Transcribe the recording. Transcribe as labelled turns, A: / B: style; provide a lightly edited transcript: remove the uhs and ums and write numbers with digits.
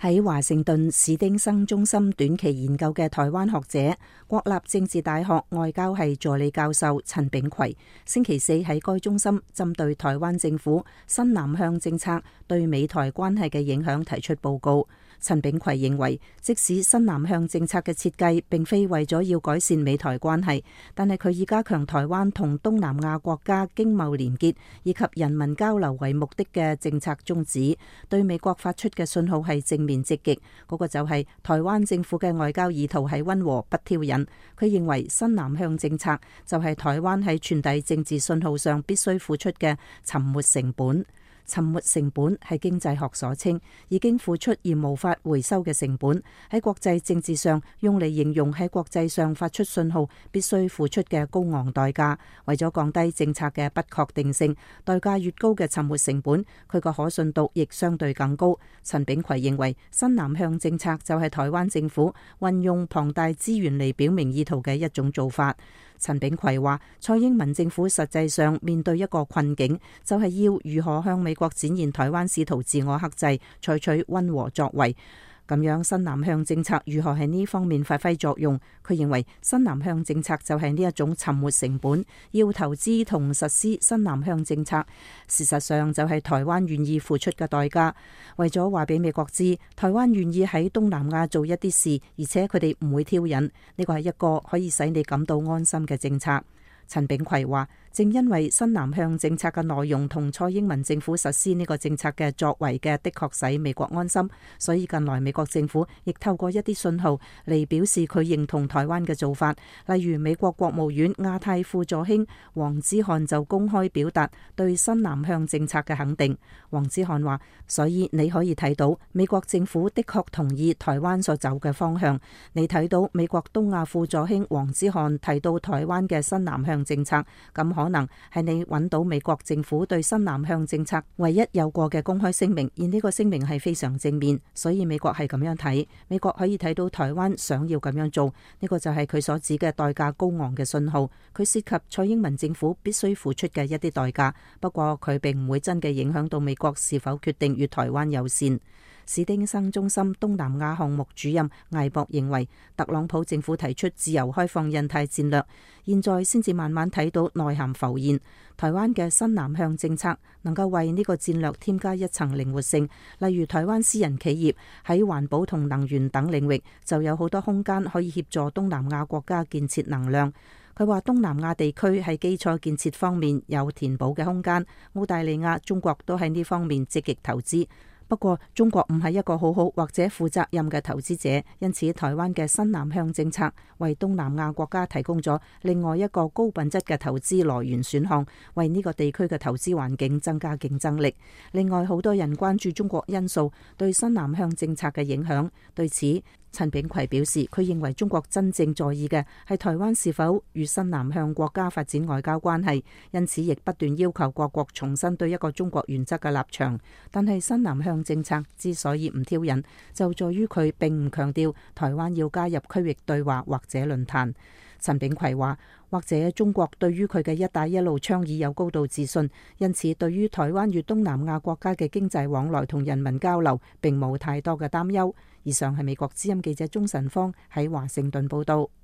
A: 喺華盛頓史丁生中心短期研究嘅台灣學者、國立政治大學外交系助理教授陳炳葵，星期四喺該中心針對台灣政府新南向政策對美台關係嘅影響提出報告。陳炳葵認為，即使新南向政策嘅設計並非為咗要改善美台關係，但係佢以加強台灣同東南亞國家經貿連結以及人民交流為目的嘅政策宗旨，對美國發出嘅信號係正面積極。嗰個就係台灣政府嘅外交意圖係溫和不挑釁。佢認為新南向政策就係台灣喺傳遞政治信號上必須付出嘅沉沒成本。沉沒成本係經濟學所稱，已經付出而無法回收嘅成本，喺國際政治上用嚟形容喺國際上發出信號必須付出嘅高昂代價。為咗降低政策嘅不確定性，代價越高嘅沉沒成本，佢個可信度亦相對更高。陳炳葵認為新南向政策就係台灣政府運用龐大資源嚟表明意圖嘅一種做法。陳炳葵話，蔡英文政府實際上面對一個困境，就係要如何向美國展現台灣試圖自我克制，採取溫和作為。咁樣新南向政策如何喺呢方面發揮作用？佢認為新南向政策就係呢一種沉沒成本，要投資同實施新南向政策，事實上就係台灣願意付出嘅代價。為咗話俾美國知，台灣願意喺東南亞做一啲事，而且佢哋唔會挑釁，呢個係一個可以使你感到安心嘅政策。陳炳葵話，正因為新南向政策嘅內容同蔡英文政府實施呢個政策嘅作為嘅的確使美國安心，所以近來美國政府亦透過一啲信號嚟表示佢認同台灣嘅做法。例如美國國務院亞太副助卿黃之漢就公開表達對新南向政策嘅肯定。黃之漢話，所以你可以睇到美國政府的確同意台灣所走嘅方向。你睇到美國東亞副助卿黃之漢提到台灣嘅新南向政策，咁可能係你揾到美國政府對新南向政策唯一有過嘅公開聲明，而呢個聲明係非常正面，所以美國係咁樣睇。美國可以睇到台灣想要咁樣做，呢個就係佢所指嘅代價高昂嘅信號。佢涉及蔡英文政府必須付出嘅一啲代價，不過佢並唔會真嘅影響到美國是否決定與台灣友善。史丁生中心東南亞項目主任艾博認為，特朗普政府提出自由開放印太戰略，現在先至慢慢睇到內涵浮現。台灣嘅新南向政策能夠為呢個戰略添加一層靈活性，例如台灣私人企業喺環保同能源等領域就有好多空間可以協助東南亞國家建設能量。佢話東南亞地區喺基礎建設方面有填補嘅空間，澳大利亞、中國都喺呢方面積極投資。不過中國唔係一個好好或者負責任嘅投資者，因此台灣嘅新南向政策為東南亞國家提供咗另外一個高品質嘅投資來源選項，為呢個地區嘅投資環境增加競爭力。另外，好多人關注中國因素對新南向政策嘅影響，對此陳炳葵表示，佢認為中國真正在意嘅係台灣是否與新南向國家發展外交關係，因此亦不斷要求各國重新對一個中國原則嘅立場。但係新南向政策之所以唔挑釁，就在於佢並唔強調台灣要加入區域對話或者論壇。陳炳葵話，或者中國對於佢嘅一帶一路倡議有高度自信，因此對於台灣與東南亞國家嘅經濟往來同人民交流並冇太多嘅擔憂。以上係美國之音記者鍾晨芳喺華盛頓報道。